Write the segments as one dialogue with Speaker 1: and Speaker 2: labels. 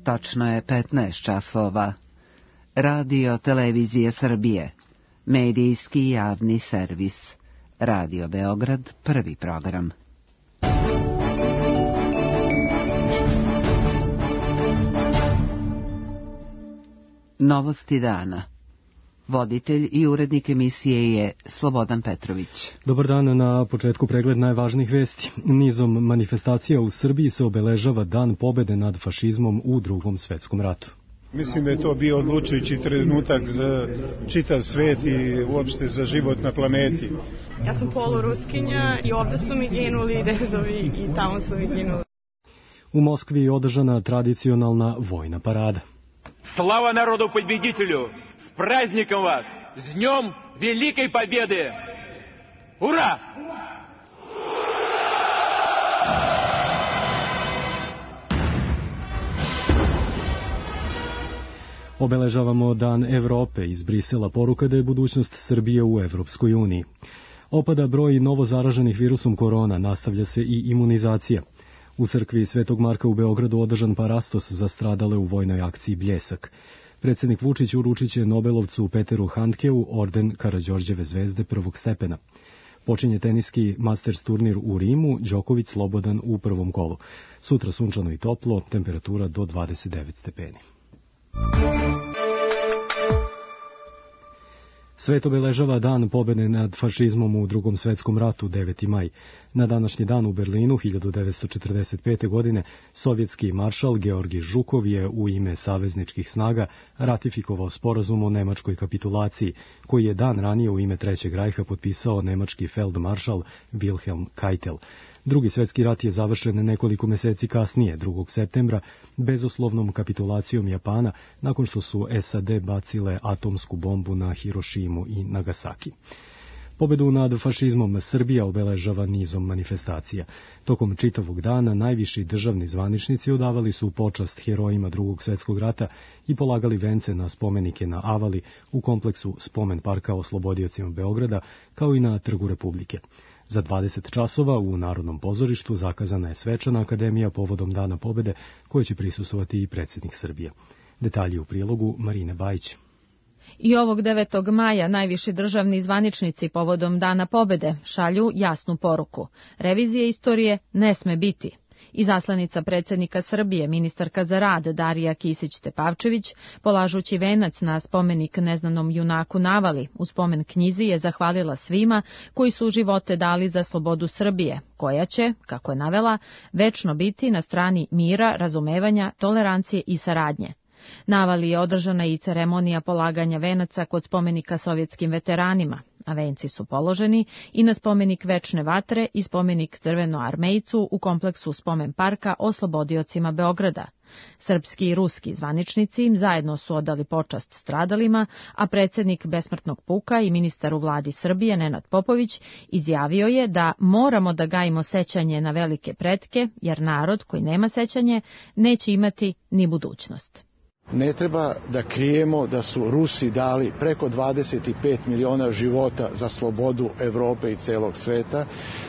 Speaker 1: Tačno je 15 časova. Radio Televizije Srbije. Medijski javni servis. Radio Beograd, prvi program. Novosti dana. Voditelj i urednik emisije je Slobodan Petrović.
Speaker 2: Dobar dan, na početku pregled najvažnijih vesti. Nizom manifestacija u Srbiji se obeležava Dan pobede nad fašizmom u Drugom svetskom ratu.
Speaker 3: Mislim da je to bio odlučujući trenutak za čitav svet i uopšte za život na planeti.
Speaker 4: Ja sam poluruskinja i ovde su mi ginuli dedovi i tamo su mi ginuli.
Speaker 2: U Moskvi je održana tradicionalna vojna parada.
Speaker 5: Слава народу-победителю! С праздником вас! С днем Великой Победы! Ура!
Speaker 2: Obeležavamo Dan Evrope. Iz Brisela poruka da je budućnost Srbije u Evropskoj uniji. Opada broj novozaraženih virusom korona, nastavlja se i imunizacija. U crkvi Svetog Marka u Beogradu održan parastos za stradale u vojnoj akciji Bljesak. Predsjednik Vučić uručit će Nobelovcu Peteru Handkeu orden Karađorđeve zvezde prvog stepena. Počinje teniski Masters turnir u Rimu, Đoković slobodan u prvom kolu. Sutra sunčano i toplo, temperatura do 29 stepeni. Svet obeležava Dan pobede nad fašizmom u Drugom svetskom ratu, 9. maj. Na današnji dan u Berlinu 1945. godine sovjetski maršal Georgij Žukov je u ime savezničkih snaga ratifikovao sporazum o nemačkoj kapitulaciji, koji je dan ranije u ime Trećeg rajha potpisao nemački feldmaršal Wilhelm Keitel. Drugi svjetski rat je završen nekoliko meseci kasnije, 2. septembra, bezuslovnom kapitulacijom Japana, nakon što su SAD bacile atomsku bombu na Hirošimu i Nagasaki. Pobedu nad fašizmom Srbija obeležava nizom manifestacija. Tokom čitavog dana najviši državni zvaničnici odavali su počast herojima Drugog svjetskog rata i polagali vence na spomenike na Avali u kompleksu Spomen parka oslobodiocima Beograda, kao i na Trgu Republike. Za 20 časova u Narodnom pozorištu zakazana je svečana akademija povodom Dana pobede, koje će prisustvovati i predsjednik Srbije. Detalji u prilogu Marine Bajić.
Speaker 6: I ovog 9. maja najviši državni zvaničnici povodom Dana pobede šalju jasnu poruku. Revizije istorije ne sme biti. Izaslanica predsjednika Srbije, ministarka za rad Darija Kisić-Tepavčević, polažući venac na spomenik neznanom junaku Navali, u spomen knjizi je zahvalila svima koji su živote dali za slobodu Srbije, koja će, kako je navela, večno biti na strani mira, razumevanja, tolerancije i saradnje. Navali je održana i ceremonija polaganja venaca kod spomenika sovjetskim veteranima, a venci su položeni i na spomenik Večne vatre i spomenik Crvenoarmejcu u kompleksu Spomen parka oslobodiocima Beograda. Srpski i ruski zvaničnici im zajedno su odali počast stradalima, a predsjednik Besmrtnog puka i ministar u vladi Srbije Nenad Popović izjavio je da moramo da gajimo sećanje na velike pretke, jer narod koji nema sećanje neće imati ni budućnost.
Speaker 7: Ne treba da krijemo da su Rusi dali preko 25 miliona života za slobodu Evrope i celog sveta.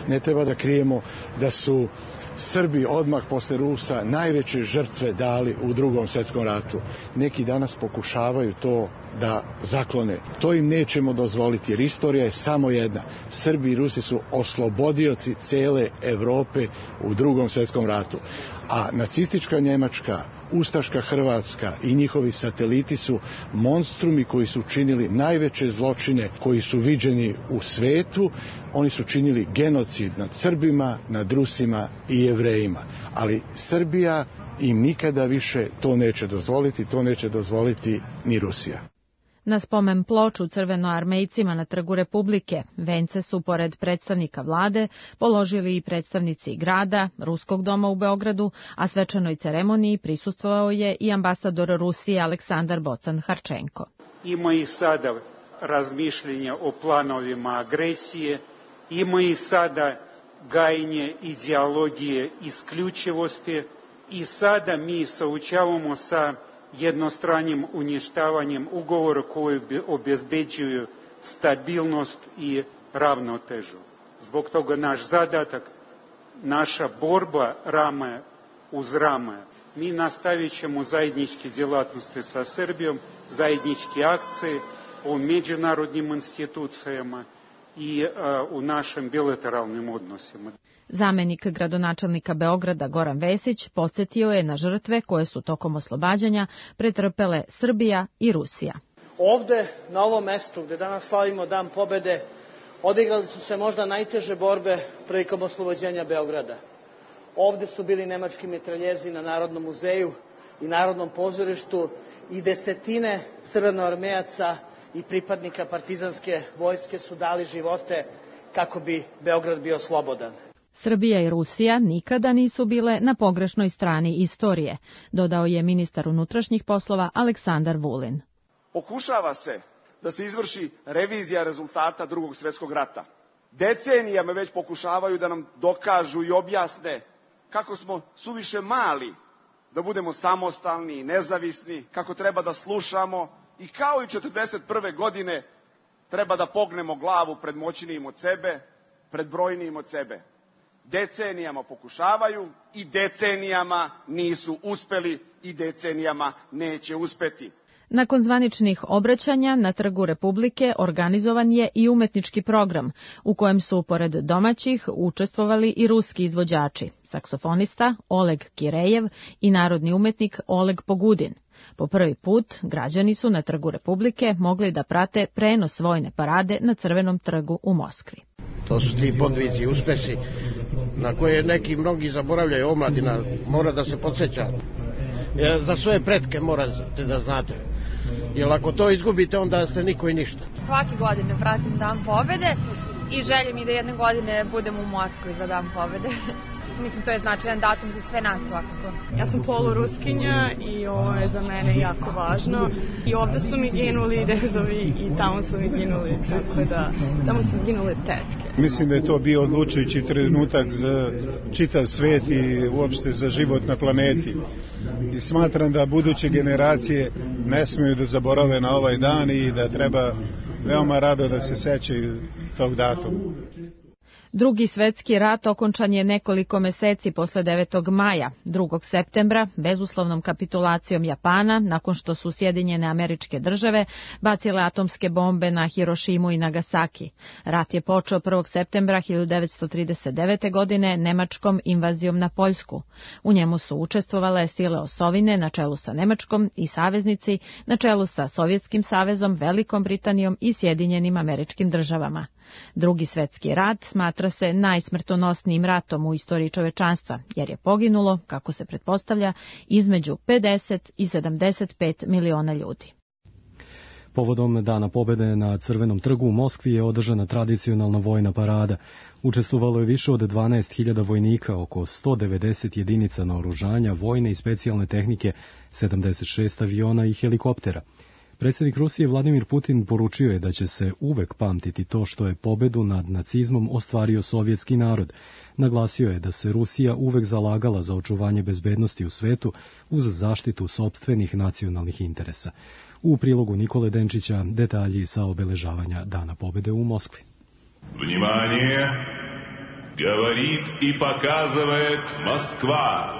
Speaker 7: Ne treba da krijemo da su Srbi odmah posle Rusa najveće žrtve dali u Drugom svjetskom ratu. Neki danas pokušavaju to da zaklone. To im nećemo dozvoliti, jer istorija je samo jedna. Srbi i Rusi su oslobodioci cele Evrope u Drugom svjetskom ratu. A nacistička Njemačka, ustaška Hrvatska i njihovi sateliti su monstrumi koji su činili najveće zločine koji su viđeni u svetu. Oni su činili genocid nad Srbima, nad Rusima i Jevrejima. Ali Srbija im nikada više to neće dozvoliti, to neće dozvoliti ni Rusija.
Speaker 6: Na spomen ploču crvenoarmejcima na Trgu Republike vence su, pored predstavnika vlade, položili i predstavnici grada, Ruskog doma u Beogradu, a svečanoj ceremoniji prisustvovao je i ambasador Rusije Aleksandar Bocan-Harčenko.
Speaker 8: Ima i sada razmišljenja o planovima agresije, ima i sada gajenje ideologije isključivosti i sada mi saučavamo sa jednostranim uništavanjem ugovora koji obezbeđuju stabilnost i ravnotežu. Zbog toga naš zadatak, naša borba rame uz rame Mi nastavit ćemo zajedničke djelatnosti sa Srbijom, zajedničke akcije u međunarodnim institucijama i u našim bilateralnim odnosima.
Speaker 6: Zamenik gradonačelnika Beograda Goran Vesić podsjetio je na žrtve koje su tokom oslobađanja pretrpele Srbija i Rusija.
Speaker 9: Ovde, na ovom mestu gde danas slavimo Dan pobede, odigrali su se možda najteže borbe prilikom oslobođenja Beograda. Ovde su bili nemački mitraljezi na Narodnom muzeju i Narodnom pozorištu i desetine crvenoarmejaca i pripadnika partizanske vojske su dali živote kako bi Beograd bio slobodan.
Speaker 6: Srbija i Rusija nikada nisu bile na pogrešnoj strani istorije, dodao je ministar unutrašnjih poslova Aleksandar Vulin.
Speaker 10: Pokušava se da se izvrši revizija rezultata Drugog svjetskog rata. Decenijama već pokušavaju da nam dokažu i objasne kako smo suviše mali da budemo samostalni i nezavisni, kako treba da slušamo i kao i 1941. godine treba da pognemo glavu pred moćnijim od sebe, pred brojnijim od sebe. Decenijama pokušavaju i decenijama nisu uspeli i decenijama neće uspeti.
Speaker 6: Nakon zvaničnih obraćanja na Trgu Republike organizovan je i umetnički program u kojem su pored domaćih učestvovali i ruski izvođači, saksofonista Oleg Kirejev i narodni umetnik Oleg Pogudin. Po prvi put građani su na Trgu Republike mogli da prate prenos vojne parade na Crvenom trgu u Moskvi.
Speaker 11: To su ti podvici, uspesi na koje neki mnogi zaboravljaju, omladina mora da se podsjeća. Jer za svoje pretke morate da znate. Jer ako to izgubite, onda ste niko i ništa.
Speaker 12: Svake godine pratim Dan pobede i želim i da jedne godine budem u Moskvi za Dan pobede. Mislim, to je značajan datum za sve nas svakako.
Speaker 4: Ja sam poluruskinja i ovo je za mene jako važno. I ovde su mi ginuli dedovi i tamo su mi ginuli, tako da tamo su mi ginule tetke.
Speaker 3: Mislim da je to bio odlučujući trenutak za čitav svet i uopšte za život na planeti. I smatram da buduće generacije ne smiju da zaborave na ovaj dan i da treba veoma rado da se sećaju tog datuma.
Speaker 6: Drugi svetski rat okončan je nekoliko meseci posle 9. maja, 2. septembra, bezuslovnom kapitulacijom Japana, nakon što su Sjedinjene Američke Države bacile atomske bombe na Hirošimu i Nagasaki. Rat je počeo 1. septembra 1939. godine nemačkom invazijom na Poljsku. U njemu su učestvovale sile osovine na čelu sa Nemačkom i saveznici na čelu sa Sovjetskim savezom, Velikom Britanijom i Sjedinjenim Američkim Državama. Drugi svetski rat smatra se najsmrtonosnijim ratom u istoriji čovečanstva, jer je poginulo, kako se pretpostavlja, između 50 i 75 miliona ljudi.
Speaker 2: Povodom Dana pobede na Crvenom trgu u Moskvi je održana tradicionalna vojna parada. Učestvovalo je više od 12.000 vojnika, oko 190 jedinica naoružanja, vojne i specijalne tehnike, 76 aviona i helikoptera. Predsjednik Rusije Vladimir Putin poručio je da će se uvek pamtiti to što je pobedu nad nacizmom ostvario sovjetski narod. Naglasio je da se Rusija uvek zalagala za očuvanje bezbednosti u svetu uz zaštitu sopstvenih nacionalnih interesa. U prilogu Nikole Denčića detalji sa obeležavanja Dana pobede u Moskvi.
Speaker 13: Vнимание! Говорит и показывает Москва!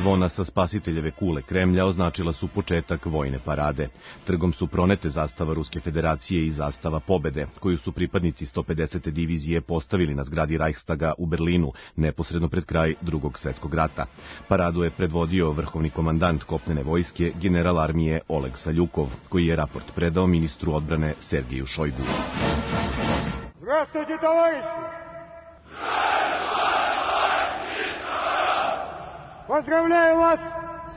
Speaker 14: Zvona sa Spasiteljeve kule Kremlja označila su početak vojne parade. Trgom su pronete zastava Ruske federacije i zastava pobede, koju su pripadnici 150. divizije postavili na zgradi Reichstaga u Berlinu, neposredno pred kraj Drugog svjetskog rata. Paradu je predvodio vrhovni komandant kopnene vojske, general armije Oleg Saljukov, koji je raport predao ministru odbrane Sergeju Šojgu.
Speaker 15: Здравствуйте, товарищи! Поздравляю вас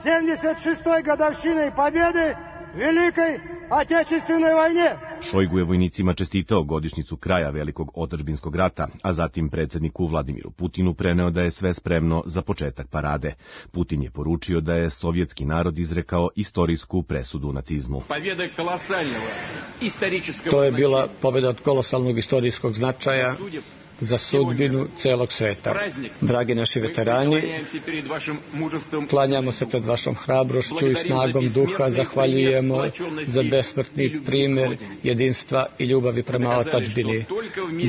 Speaker 15: с 76-й годовщиной победы в Великой Отечественной войне!
Speaker 14: Šojgu je vojnicima čestitao godišnjicu kraja Velikog otadžbinskog rata, a zatim predsjedniku Vladimiru Putinu preneo da je sve spremno za početak parade. Putin je poručio da je sovjetski narod izrekao istorijsku presudu nacizmu.
Speaker 5: To je bila pobjeda od kolosalnog istorijskog značaja
Speaker 16: za sudbinu celog sveta. Dragi naši veterani, klanjamo se pred vašom hrabrošću i snagom duha, zahvaljujemo za besmrtni primjer jedinstva i ljubavi prema otadžbini.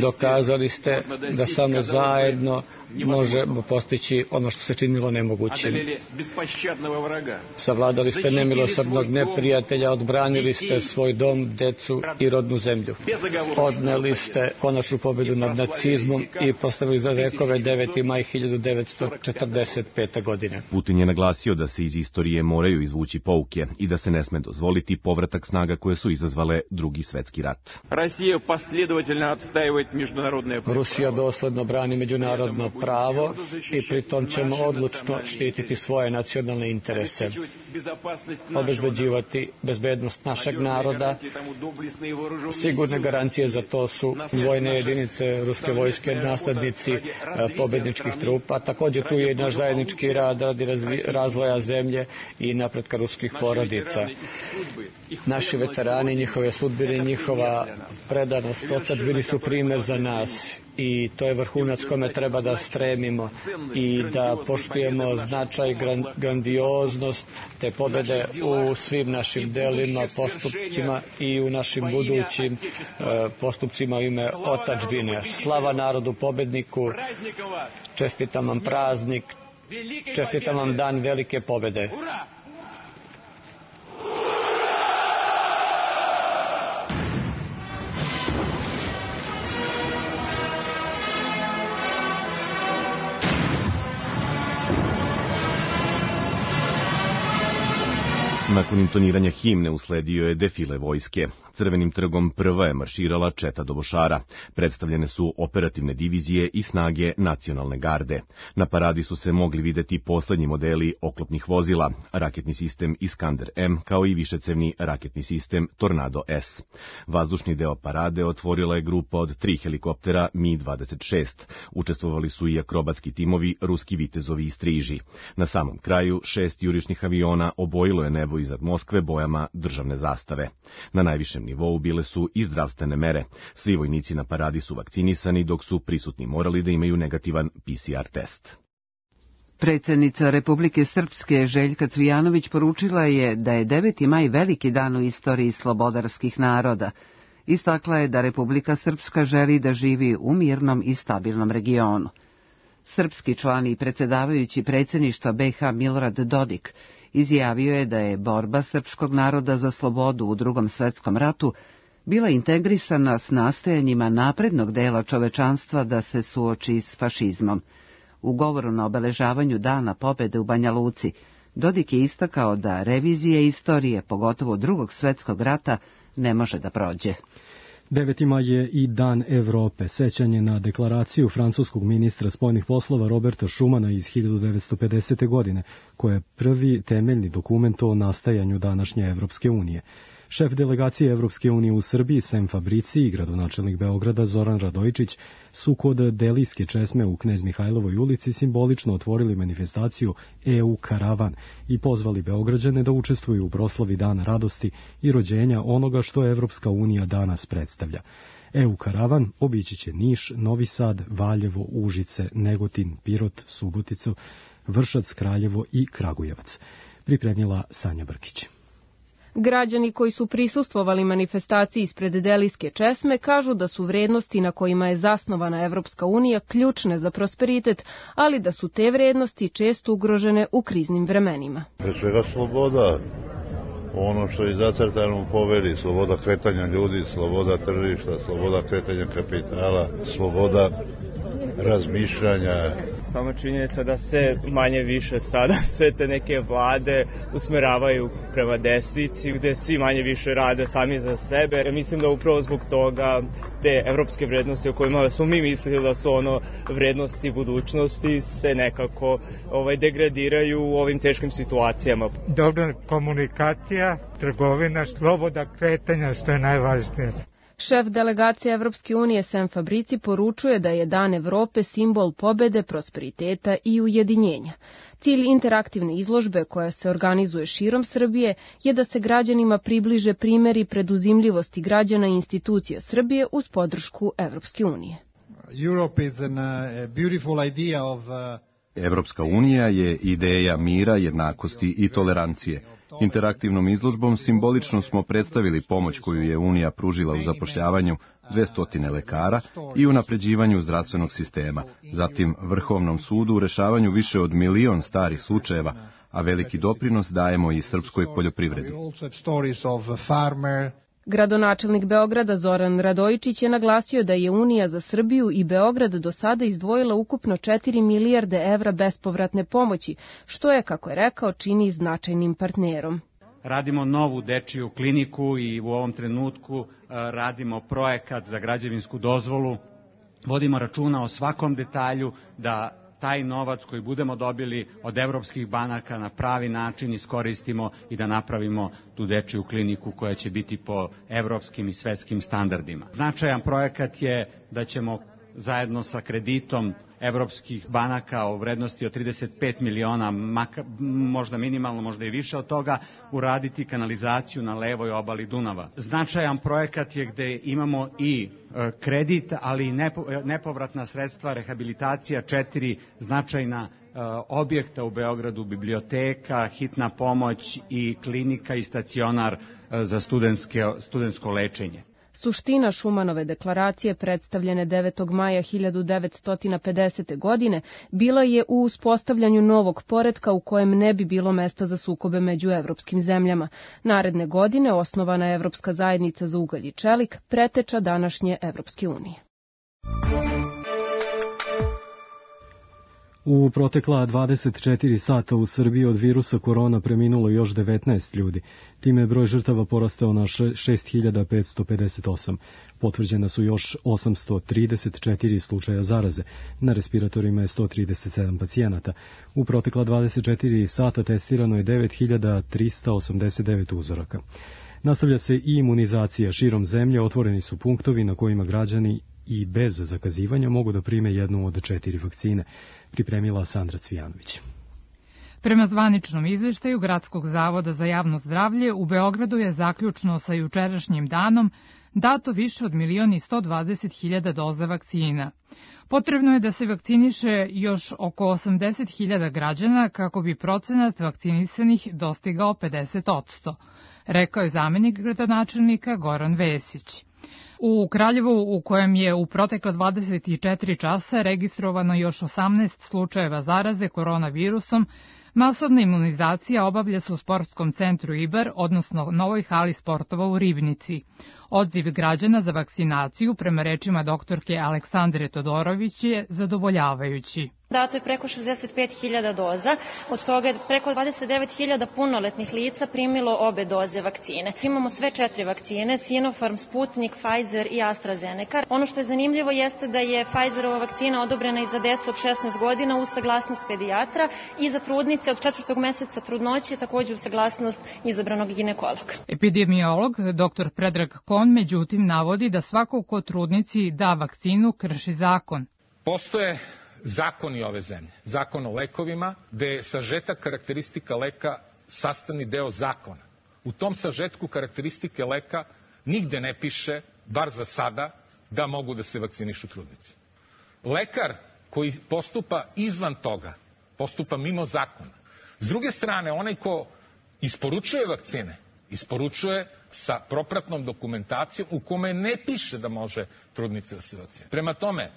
Speaker 16: Dokazali ste da samo zajedno možemo postići ono što se činilo nemogućim. Savladali ste nemilosrdnog neprijatelja, odbranili ste svoj dom, decu i rodnu zemlju. Odneli ste konačnu pobedu nad nacizmom i postavili za vekove 9. maj 1945. godine.
Speaker 14: Putin je naglasio da se iz istorije moraju izvući pouke i da se ne sme dozvoliti povratak snaga koje su izazvale Drugi svetski rat.
Speaker 16: Rusija dosledno brani međunarodno pravo i pritom ćemo odlučno štititi svoje nacionalne interese, obezbeđivati bezbednost našeg naroda. Sigurne garancije za to su vojne jedinice ruske vojske, naslednici pobedničkih trupa. Također tu je i naš zajednički rad radi razvoja zemlje i napretka ruskih porodica. Naši veterani, njihove sudbine, njihova predanost otadžbini su primjer za nas. I to je vrhunac kome treba da stremimo i da poštujemo značaj, grandioznost te pobjede u svim našim delima, postupcima i u našim budućim postupcima u ime otadžbine. Slava narodu pobedniku, čestitam vam praznik, čestitam vam dan velike pobjede.
Speaker 14: Nakon intoniranja himne usledio je defile vojske. Crvenim trgom prva je marširala četa dobošara. Predstavljene su operativne divizije i snage nacionalne garde. Na paradi su se mogli videti poslednji modeli oklopnih vozila, raketni sistem Iskander M, kao i višecevni raketni sistem Tornado S. Vazdušni deo parade otvorila je grupa od 3 helikoptera Mi-26. Učestvovali su i akrobatski timovi ruski vitezovi i striži. Na samom kraju 6 jurišnih aviona obojilo je nebo iznad Moskve bojama državne zastave. Na najvišem nivou bile su i zdravstvene mere. Svi vojnici na paradi su vakcinisani, dok su prisutni morali da imaju negativan PCR test.
Speaker 1: Predsjednica Republike Srpske Željka Cvijanović poručila je da je 9. maj veliki dan u istoriji slobodarskih naroda. Istakla je da Republika Srpska želi da živi u mirnom i stabilnom regionu. Srpski član i predsjedavajući predsjedništva BiH Milorad Dodik izjavio je da je borba srpskog naroda za slobodu u Drugom svetskom ratu bila integrisana s nastojanjima naprednog dela čovečanstva da se suoči s fašizmom. U govoru na obeležavanju Dana pobjede u Banja Luci, Dodik je istakao da revizije istorije, pogotovo Drugog svjetskog rata, ne može da prođe.
Speaker 2: 9. maj je i Dan Evrope, sećanje na deklaraciju francuskog ministra spoljnih poslova Roberta Schumana iz 1950. godine, koja je prvi temeljni dokument o nastajanju današnje Evropske unije. Šef delegacije Evropske unije u Srbiji, Sem Fabrici, i gradonačelnik Beograda Zoran Radojičić su kod Delijske česme u Knez Mihajlovoj ulici simbolično otvorili manifestaciju EU Karavan i pozvali Beograđane da učestvuju u proslavi Dana radosti i rođenja onoga što Evropska unija danas predstavlja. EU Karavan obići će Niš, Novi Sad, Valjevo, Užice, Negotin, Pirot, Suboticu, Vršac, Kraljevo i Kragujevac. Pripremila Sanja Brkić.
Speaker 17: Građani koji su prisustvovali manifestaciji ispred Delijske česme kažu da su vrednosti na kojima je zasnovana Evropska unija ključne za prosperitet, ali da su te vrednosti često ugrožene u kriznim vremenima.
Speaker 18: Pre svega sloboda, ono što je zacrtano u povelji, sloboda kretanja ljudi, sloboda tržišta, sloboda kretanja kapitala, sloboda razmišljanja.
Speaker 19: Sama činjenica da se manje više sada sve te neke vlade usmeravaju prema desnici, gde svi manje više rade sami za sebe. Mislim da upravo zbog toga te evropske vrednosti o kojima smo mi mislili da su vrednosti budućnosti se nekako degradiraju u ovim teškim situacijama.
Speaker 20: Dobra komunikacija, trgovina, sloboda kretanja, što je najvažnije.
Speaker 17: Šef delegacije Evropske unije Sem Fabrici poručuje da je Dan Evrope simbol pobede, prosperiteta i ujedinjenja. Cilj interaktivne izložbe koja se organizuje širom Srbije je da se građanima približe primjeri preduzimljivosti građana i institucija Srbije uz podršku Evropske unije.
Speaker 21: Europe is a beautiful idea of
Speaker 22: Evropska unija je ideja mira, jednakosti i tolerancije. Interaktivnom izložbom simbolično smo predstavili pomoć koju je Unija pružila u zapošljavanju 200 lekara i unapređivanju zdravstvenog sistema, zatim Vrhovnom sudu u rešavanju više od 1 milion starih slučajeva, a veliki doprinos dajemo i srpskoj poljoprivredi.
Speaker 17: Gradonačelnik Beograda Zoran Radojičić je naglasio da je Unija za Srbiju i Beograd do sada izdvojila ukupno 4 milijarde evra bespovratne pomoći, što je, kako je rekao, čini značajnim partnerom.
Speaker 23: Radimo novu dečiju kliniku i u ovom trenutku radimo projekat za građevinsku dozvolu. Vodimo računa o svakom detalju da taj novac koji budemo dobili od evropskih banaka na pravi način iskoristimo i da napravimo tu dečiju kliniku koja će biti po evropskim i svetskim standardima. Značajan projekat je da ćemo zajedno sa kreditom evropskih banaka u vrednosti od 35 miliona, možda minimalno, možda i više od toga, uraditi kanalizaciju na levoj obali Dunava. Značajan projekat je gde imamo i kredit, ali i nepovratna sredstva, rehabilitacija 4 značajna objekta u Beogradu, biblioteka, hitna pomoć i klinika i stacionar za studentsko lečenje.
Speaker 17: Suština Šumanove deklaracije predstavljene 9. maja 1950. godine bila je u uspostavljanju novog poretka u kojem ne bi bilo mesta za sukobe među evropskim zemljama. Naredne godine osnovana je Evropska zajednica za ugalj i čelik, preteča današnje Evropske unije.
Speaker 2: U protekla 24 sata u Srbiji od virusa korona preminulo još 19 ljudi. Time je broj žrtava porastao na 6558. Potvrđena su još 834 slučaja zaraze. Na respiratorima je 137 pacijenata. U protekla 24 sata testirano je 9389 uzoraka. Nastavlja se i imunizacija širom zemlje, otvoreni su punktovi na kojima građani i bez zakazivanja mogu da prime jednu od 4 vakcine, pripremila Sandra Cvijanović.
Speaker 24: Prema zvaničnom izveštaju Gradskog zavoda za javno zdravlje, u Beogradu je zaključno sa jučerašnjim danom dato više od 1.120.000 doza vakcina. Potrebno je da se vakciniše još oko 80.000 građana kako bi procenat vakcinisanih dostigao 50%, rekao je zamenik gradonačelnika Goran Vesić. U Kraljevu, u kojem je u protekla 24 časa registrovano još 18 slučajeva zaraze koronavirusom, masovna imunizacija obavlja se u sportskom centru Ibar, odnosno novoj hali sportova u Ribnici. Odziv građana za vakcinaciju, prema rečima doktorke Aleksandre Todorović, je zadovoljavajući.
Speaker 25: Dato je preko 65.000 doza, od toga je preko 29.000 punoletnih lica primilo obe doze vakcine. Imamo sve 4 vakcine, Sinopharm, Sputnik, Pfizer i AstraZeneca. Ono što je zanimljivo jeste da je Pfizerova vakcina odobrena i za decu od 16 godina uz saglasnost pedijatra i za trudnice od 4. meseca trudnoće, takođe uz saglasnost izabranog ginekologa.
Speaker 24: Epidemiolog dr. Predrag Kon međutim navodi da svako ko trudnici da vakcinu krši zakon.
Speaker 26: Postoje zakoni ove zemlje, zakon o lekovima, gde je sažetak karakteristika leka sastavni deo zakona. U tom sažetku karakteristike leka nigde ne piše, bar za sada, da mogu da se vakcinišu trudnici. Lekar koji postupa izvan toga, postupa mimo zakona. S druge strane, onaj ko isporučuje vakcine, isporučuje sa propratnom dokumentacijom u kome ne piše da može trudnica da se vakcinira. Prema tome,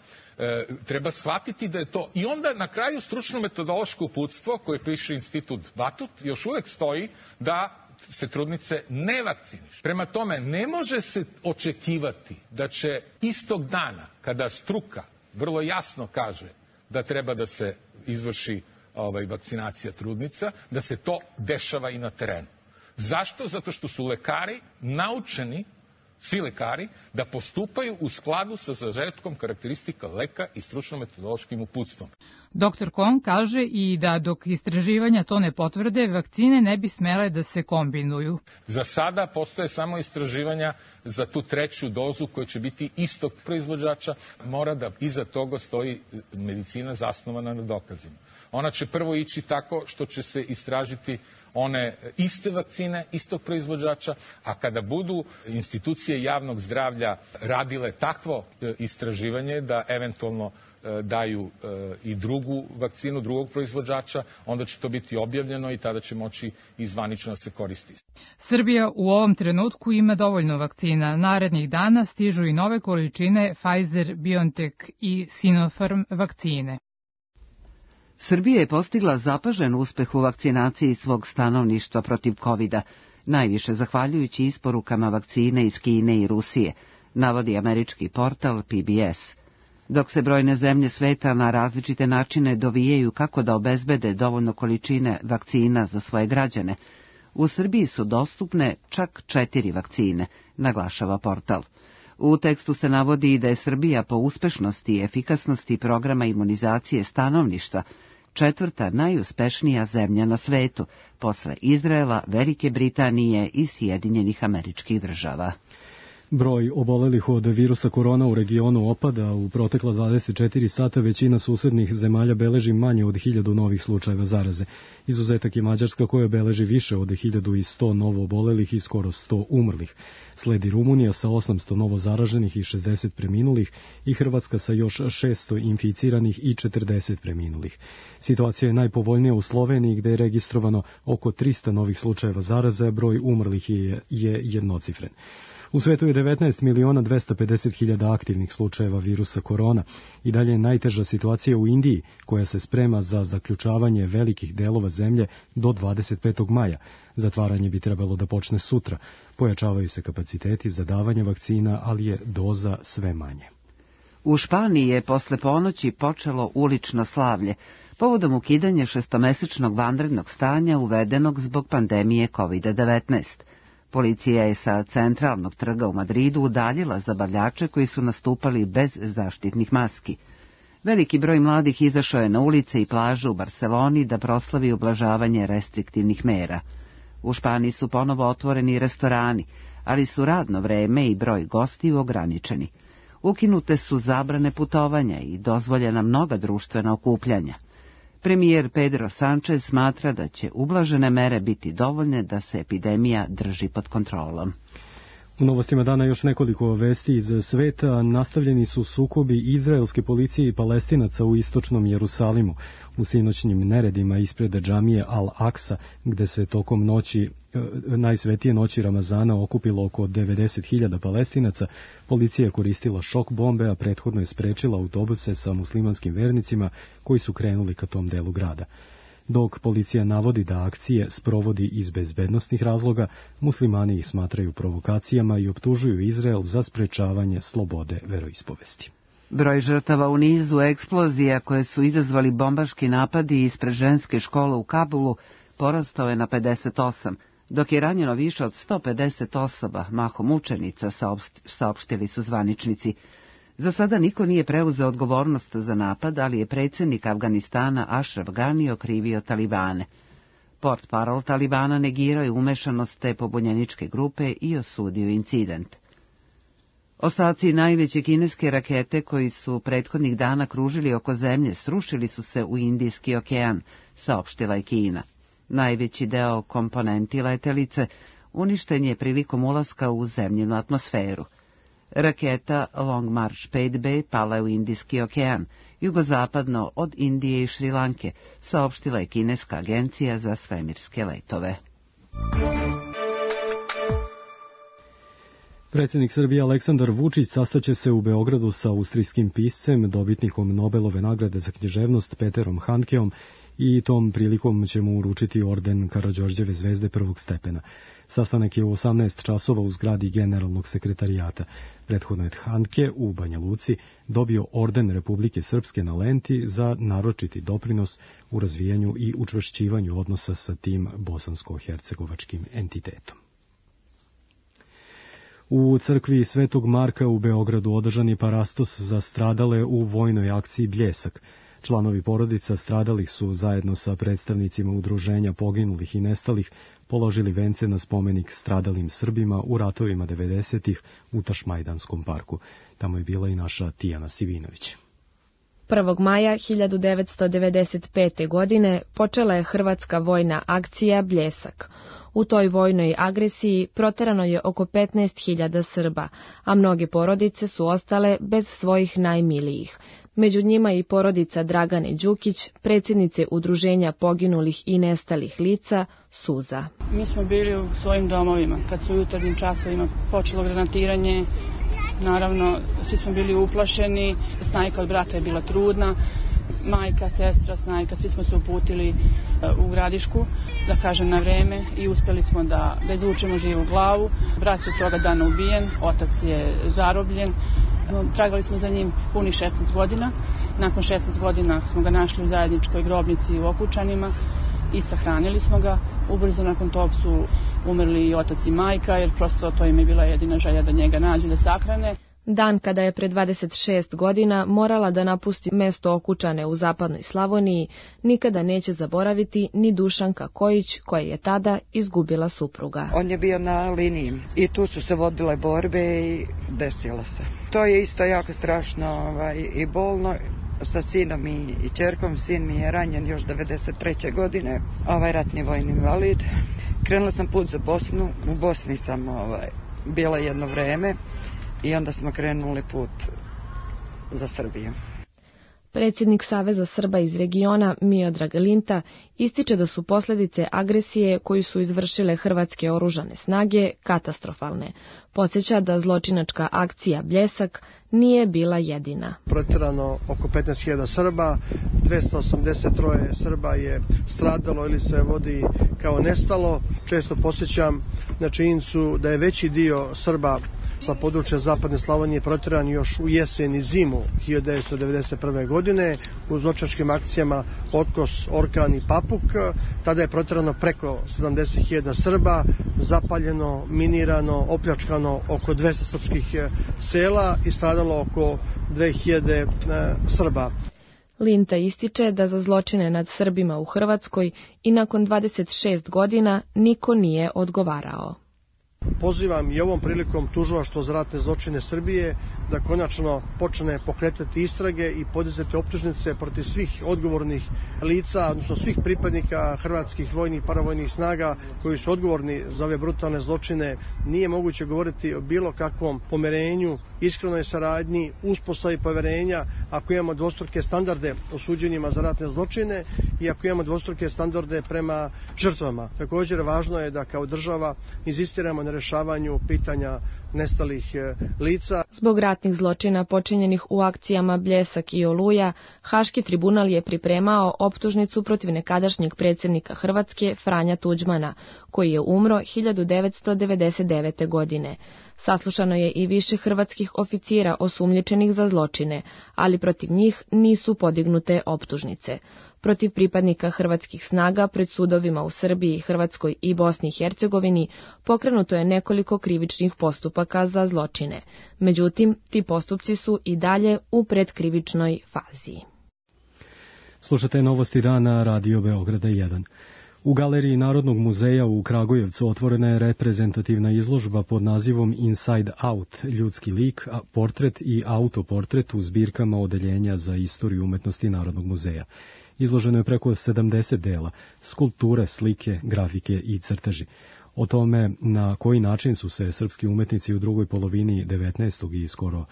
Speaker 26: treba shvatiti da je to. I onda na kraju stručno-metodološko uputstvo koje piše Institut Batut još uvek stoji da se trudnice ne vakcinišu. Prema tome, ne može se očekivati da će istog dana, kada struka vrlo jasno kaže da treba da se izvrši vakcinacija trudnica, da se to dešava i na terenu. Zašto? Zato što su lekari naučeni, svi lekari, da postupaju u skladu sa sažetkom karakteristika leka i stručno-metodološkim uputstvom.
Speaker 24: Dr. Kon kaže i da dok istraživanja to ne potvrde, vakcine ne bi smele da se kombinuju.
Speaker 26: Za sada postoje samo istraživanja za tu 3. dozu koja će biti istog proizvođača. Mora da iza toga stoji medicina zasnovana na dokazima. Ona će prvo ići tako što će se istražiti one iste vakcine, istog proizvođača, a kada budu institucije institucije javnog zdravlja radile takvo istraživanje da eventualno daju i drugu vakcinu, drugog proizvođača, onda će to biti objavljeno i tada će moći i zvanično se koristiti.
Speaker 24: Srbija u ovom trenutku ima dovoljno vakcina. Narednih dana stižu i nove količine Pfizer, BioNTech i Sinopharm vakcine.
Speaker 1: Srbija je postigla zapažen uspeh u vakcinaciji svog stanovništva protiv COVID-a, najviše zahvaljujući isporukama vakcine iz Kine i Rusije, navodi američki portal PBS. Dok se brojne zemlje sveta na različite načine dovijaju kako da obezbede dovoljno količine vakcina za svoje građane, u Srbiji su dostupne čak 4 vakcine, naglašava portal. U tekstu se navodi i da je Srbija po uspešnosti i efikasnosti programa imunizacije stanovništva 4. najuspešnija zemlja na svetu, posle Izraela, Velike Britanije i Sjedinjenih Američkih Država.
Speaker 2: Broj obolelih od virusa korona u regionu opada. U protekla 24 sata većina susednih zemalja beleži manje od 1000 novih slučajeva zaraze. Izuzetak je Mađarska koja beleži više od 1100 novo obolelih i skoro 100 umrlih. Sledi Rumunija sa 800 novo zaraženih i 60 preminulih i Hrvatska sa još 600 inficiranih i 40 preminulih. Situacija je najpovoljnija u Sloveniji gde je registrovano oko 300 novih slučajeva zaraze, broj umrlih je jednocifren. U svetu je 19.250.000 aktivnih slučajeva virusa korona i dalje je najteža situacija u Indiji, koja se sprema za zaključavanje velikih delova zemlje do 25. maja. Zatvaranje bi trebalo da počne sutra. Pojačavaju se kapaciteti za davanje vakcina, ali je doza sve manje.
Speaker 1: U Španiji je posle ponoći počelo ulično slavlje, povodom ukidanja 6-mesečnog vanrednog stanja uvedenog zbog pandemije COVID-19. Policija je sa centralnog trga u Madridu udaljila zabavljače koji su nastupali bez zaštitnih maski. Veliki broj mladih izašao je na ulice i plaže u Barseloni da proslavi ublažavanje restriktivnih mera. U Španiji su ponovo otvoreni restorani, ali su radno vreme i broj gostiju ograničeni. Ukinute su zabrane putovanja i dozvoljena mnoga društvena okupljanja. Premijer Pedro Sanchez smatra da će ublažene mere biti dovoljne da se epidemija drži pod kontrolom.
Speaker 2: U novostima dana još nekoliko vesti iz sveta. Nastavljeni su sukobi izraelske policije i Palestinaca u istočnom Jerusalimu. U sinoćnim neredima ispred džamije Al-Aksa, gde se tokom noći, najsvetije noći Ramazana, okupilo oko 90.000 Palestinaca, policija je koristila šok bombe, a prethodno je sprečila autobuse sa muslimanskim vernicima koji su krenuli ka tom delu grada. Dok policija navodi da akcije sprovodi iz bezbednosnih razloga, muslimani ih smatraju provokacijama i optužuju Izrael za sprečavanje slobode veroispovesti.
Speaker 1: Broj žrtava u nizu eksplozija koje su izazvali bombaški napadi ispred ženske škole u Kabulu porastao je na 58, dok je ranjeno više od 150 osoba, mahom učenica, saopštili su zvaničnici. Za sada niko nije preuzeo odgovornost za napad, ali je predsjednik Afganistana Ashraf Ghani okrivio Talibane. Portparol Talibana negirao je umešanost te pobunjeničke grupe i osudio incident. Ostaci najveće kineske rakete koji su prethodnih dana kružili oko zemlje srušili su se u Indijski okean, saopštila je Kina. Najveći deo komponenti letelice uništen je prilikom ulaska u zemljinu atmosferu. Raketa Long March 5B pala je u Indijski okean, jugozapadno od Indije i Šrilanke, saopštila je kineska agencija za svemirske letove.
Speaker 2: Predsjednik Srbije Aleksandar Vučić sastaće se u Beogradu sa austrijskim piscem, dobitnikom Nobelove nagrade za književnost Peterom Handkeom, i tom prilikom će mu uručiti orden Karađorđeve zvezde prvog stepena. Sastanak je u 18 časova u zgradi Generalnog sekretarijata. Prethodno je Handke u Banja Luci dobio orden Republike Srpske na Lenti za naročiti doprinos u razvijanju i učvršćivanju odnosa sa tim bosansko-hercegovačkim entitetom. U crkvi Svetog Marka u Beogradu održan je parastos za stradale u vojnoj akciji Bljesak. Članovi porodica stradalih su zajedno sa predstavnicima udruženja poginulih i nestalih položili vence na spomenik stradalim Srbima u ratovima 90-ih u Tašmajdanskom parku. Tamo je bila i naša Tijana Sivinović.
Speaker 17: 1. maja 1995. godine počela je hrvatska vojna akcija Bljesak. U toj vojnoj agresiji proterano je oko 15.000 Srba, a mnoge porodice su ostale bez svojih najmilijih. Među njima i porodica Dragane Đukić, predsjednice Udruženja poginulih i nestalih lica, Suza.
Speaker 7: Mi smo bili u svojim domovima. Kad su u jutarnjim časovima počelo granatiranje, naravno, svi smo bili uplašeni. Snajka od brata je bila trudna. Majka, sestra, snajka, svi smo se uputili u Gradišku, da kažem na vreme, i uspeli smo da izvučemo živu glavu. Brat je toga dana ubijen, otac je zarobljen. Tragali smo za njim punih 16 godina. Nakon 16 godina smo ga našli u zajedničkoj grobnici u Okučanima i sahranili smo ga. Ubrzo nakon tog su umrli i otac i majka, jer prosto to im je bila jedina želja da njega nađu, da sahrane.
Speaker 17: Dan kada je pre 26 godina morala da napusti mesto Okučane u zapadnoj Slavoniji, nikada neće zaboraviti ni Dušanka Kojić, koja je tada izgubila supruga.
Speaker 8: On je bio na liniji i tu su se vodile borbe i desilo se. To je isto jako strašno i bolno. Sa sinom i ćerkom, sin mi je ranjen još 93. godine, ratni vojni invalid. Krenula sam put za Bosnu, u Bosni sam bila jedno vreme i onda smo krenuli put za Srbiju.
Speaker 17: Predsjednik Saveza Srba iz regiona, Miodrag Linta, ističe da su posljedice agresije koju su izvršile hrvatske oružane snage katastrofalne. Podsjeća da zločinačka akcija Bljesak nije bila jedina.
Speaker 9: Protjerano oko 15.000 Srba, 283 Srba je stradalo ili se vodi kao nestalo. Često podsjećam na činjenicu da je veći dio Srba sa područja zapadne Slavonije protjeran još u jesen i zimu 1991. godine u zločinačkim akcijama Otkos, Orkan i Papuk. Tada je protjerano preko 70.000 Srba, zapaljeno, minirano, opljačkano oko 200 srpskih sela i stradalo oko 2000 Srba.
Speaker 17: Linta ističe da za zločine nad Srbima u Hrvatskoj i nakon 26 godina niko nije odgovarao.
Speaker 9: Pozivam i ovom prilikom Tužilaštvo za ratne zločine Srbije da konačno počne pokretati istrage i podizati optužnice protiv svih odgovornih lica, odnosno svih pripadnika hrvatskih vojnih i paravojnih snaga koji su odgovorni za ove brutalne zločine. Nije moguće govoriti o bilo kakvom pomirenju, iskrenoj saradnji, uspostavi poverenja ako imamo dvostruke standarde o suđenjima za ratne zločine i ako imamo dvostruke standarde prema žrtvama. Također važno je da kao država inzistiramo na rješavanju pitanja nestalih lica.
Speaker 17: Zbog ratnih zločina počinjenih u akcijama Bljesak i Oluja, Haški tribunal je pripremao optužnicu protiv nekadašnjeg predsjednika Hrvatske Franja Tuđmana, koji je umro 1999. godine. Saslušano je i više hrvatskih oficira osumnjičenih za zločine, ali protiv njih nisu podignute optužnice. Protiv pripadnika hrvatskih snaga pred sudovima u Srbiji, Hrvatskoj i Bosni i Hercegovini pokrenuto je nekoliko krivičnih postupaka za zločine. Međutim, ti postupci su i dalje u predkrivičnoj fazi.
Speaker 2: Slušate novosti dana Radio Beograda 1. U Galeriji Narodnog muzeja u Kragujevcu otvorena je reprezentativna izložba pod nazivom Inside Out, ljudski lik, portret i autoportret u zbirkama odeljenja za istoriju umetnosti Narodnog muzeja. Izloženo je preko 70 dela, skulpture, slike, grafike i crteži. O tome na koji način su se srpski umetnici u drugoj polovini 19. i skoro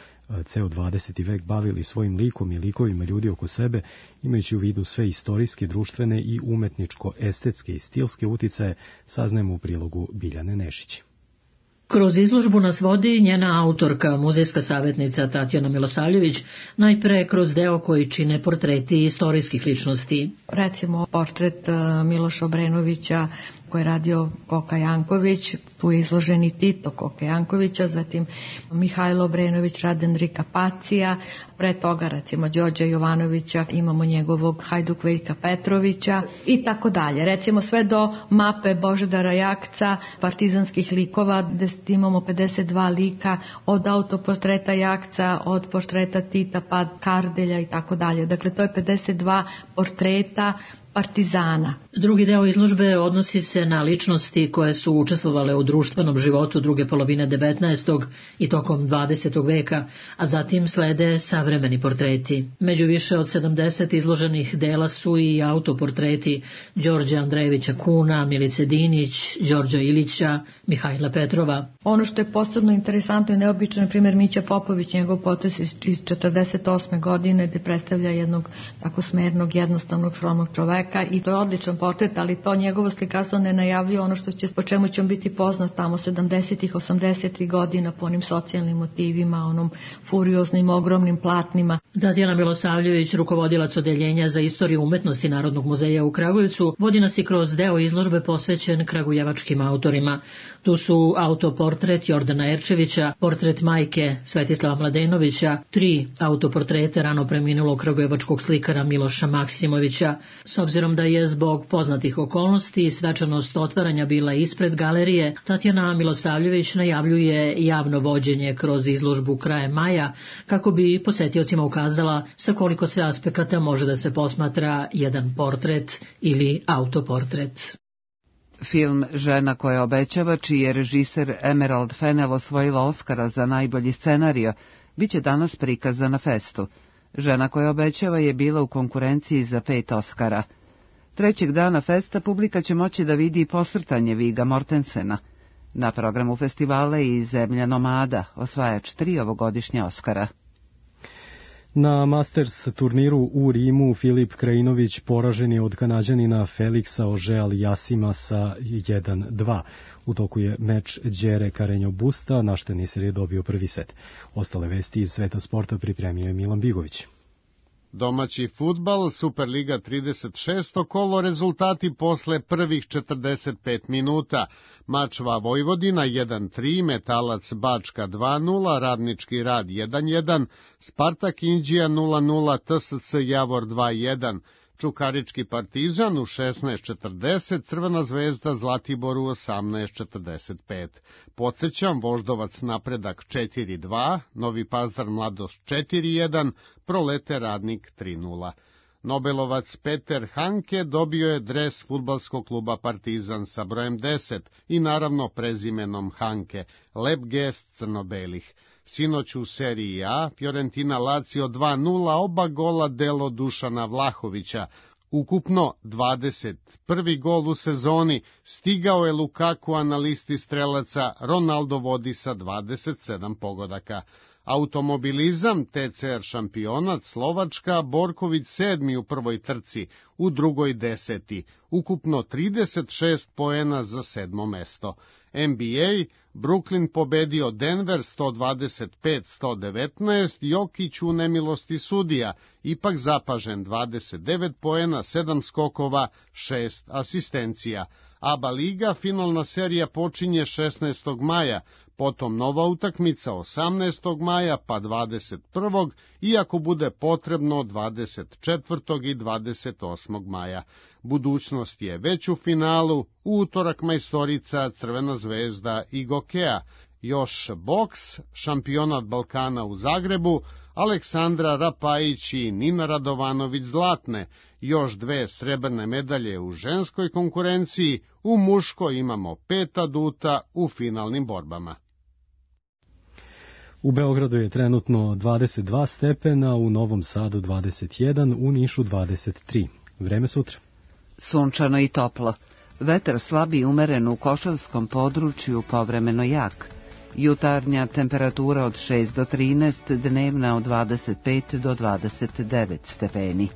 Speaker 2: ceo 20. vek bavili svojim likom i likovima ljudi oko sebe, imajući u vidu sve istorijske, društvene i umetničko-estetske i stilske uticaje, saznajemo u prilogu Biljane Nešić.
Speaker 10: Kroz izložbu nas vodi njena autorka, muzejska savjetnica Tatjana Milosavljević, najpre kroz deo koji čine portreti istorijskih ličnosti.
Speaker 11: Recimo portret Miloša Obrenovića koji je radio Koka Janković, tu je izložen i Tito Koka Jankovića, zatim Mihajlo Obrenović, Raden Rikapacija, pre toga recimo Đorđa Jovanovića, imamo njegovog Hajduk Veljka Petrovića i tako dalje. Recimo sve do mape Božidara Jakca, partizanskih likova, gde imamo 52 lika, od autoportreta Jakca, od portreta Tita pa Kardelja i tako dalje. Dakle, to je 52 portreta Partizana.
Speaker 10: Drugi deo izložbe odnosi se na ličnosti koje su učestvovale u društvenom životu druge polovine 19. i tokom 20. veka, a zatim slede savremeni portreti. Među više od 70 izloženih dela su i autoportreti Đorđa Andrejevića Kuna, Milice Dinić, Đorđa Ilića, Mihajla Petrova.
Speaker 11: Ono što je posebno interesantno i neobično, na primjer Mića Popović, njegov potez iz 48. godine, gde predstavlja jednog tako smernog, jednostavnog, skromnog čoveka, i to je odličan portret, ali to njegovo slikarstvo ne najavljuje ono po čemu će on biti poznat tamo 70-ih, 80-ih godina po onim socijalnim motivima, onom furioznim, ogromnim platnima.
Speaker 10: Tatjana Milosavljević, rukovodilac odeljenja za istoriju umetnosti Narodnog muzeja u Kragujevcu, vodi nas i kroz deo izložbe posvećen kragujevačkim autorima. Tu su autoportret Jordana Erčevića, portret majke Svetislava Mladenovića, 3 autoportrete rano preminulog kragujevačkog slikara Miloša Maksimovića. S obzirom da je zbog poznatih okolnosti svečanost otvaranja bila ispred galerije, Tatjana Milosavljević najavljuje javno vođenje kroz izložbu krajem maja, kako bi posetiocima ukazala sa koliko sve aspekata može da se posmatra jedan portret ili autoportret.
Speaker 1: Film Žena koja obećava, čiji je režiser Emerald Fennell osvojila Oskara za najbolji scenario, bit će danas prikazan na festu. Žena koja obećava je bila u konkurenciji za 5 Oskara. Trećeg dana festa publika će moći da vidi posrtanje Vigga Mortensena. Na programu festivala je i Zemlja nomada, osvajač 3 ovogodišnje Oskara.
Speaker 2: Na Masters turniru u Rimu Filip Krajinović poražen je od Kanađanina Feliksa Auger-Aliassima sa 1-2. U toku je meč Đere Carreño Busta, naš teniser je dobio prvi set. Ostale vesti iz sveta sporta pripremio je Milan Bigović.
Speaker 3: Domaći fudbal, Superliga 36. kolo, rezultati posle prvih 45 minuta. Mačva Vojvodina 1-3, Metalac Bačka 2-0, Radnički rad 1-1, Spartak Inđija 0-0, TSC Javor 2-1, Čukarički Partizan u 16:40, Crvena zvezda Zlatibor u 18:45. Podsećam, Voždovac Napredak 4-2, Novi Pazar Mladost 4-1, Prolete Radnik 3-0. Nobelovac Peter Hanke dobio je dres fudbalskog kluba Partizan sa brojem 10 i naravno prezimenom Hanke, lep gest crno-belih. Sinoć u seriji A, Fiorentina Lazio 2-0, oba gola delo Dušana Vlahovića. Ukupno 21. gol u sezoni, stigao je Lukaku, a na listi strelaca Ronaldo vodi sa 27 pogodaka. Automobilizam, TCR šampionat, Slovačka, Borković 7. u prvoj trci, u drugoj 10. Ukupno 36 poena za 7. mesto. NBA, Brooklyn pobedio Denver 125-119, Jokić u nemilosti sudija, ipak zapažen 29 poena, 7 skokova, 6 asistencija. ABA liga, finalna serija počinje 16. maja, potom nova utakmica 18. maja pa 21. iako bude potrebno 24. i 28. maja. Budućnost je već u finalu, u utorak majstorica Crvena zvezda i Gokea. Još boks, šampionat Balkana u Zagrebu, Aleksandra Rapajić i Nina Radovanović zlatne. Još 2 srebrne medalje u ženskoj konkurenciji, u muškoj imamo 5 aduta u finalnim borbama.
Speaker 2: U Beogradu je trenutno 22 stepena, u Novom Sadu 21, u Nišu 23. Vreme sutra.
Speaker 1: Sunčano i toplo. Vetar slab i umeren u Košavskom području, povremeno jak. Jutarnja temperatura od 6 do 13, dnevna od 25 do 29 stepeni.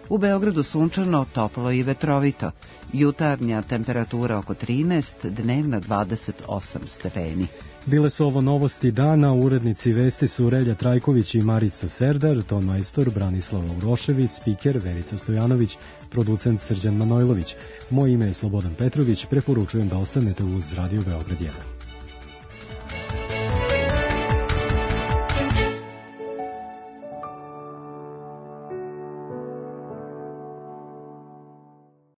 Speaker 1: U Beogradu sunčano, toplo i vetrovito. Jutarnja temperatura oko 13, dnevna 28 stepeni.
Speaker 2: Bile su ovo novosti dana, urednici vesti su Relja Trajković i Marica Serdar, ton majstor Branislav Laurošević, spiker Verica Stojanović, producent Srđan Manojlović. Moje ime je Slobodan Petrović, preporučujem da ostanete uz Radio Beograd 1.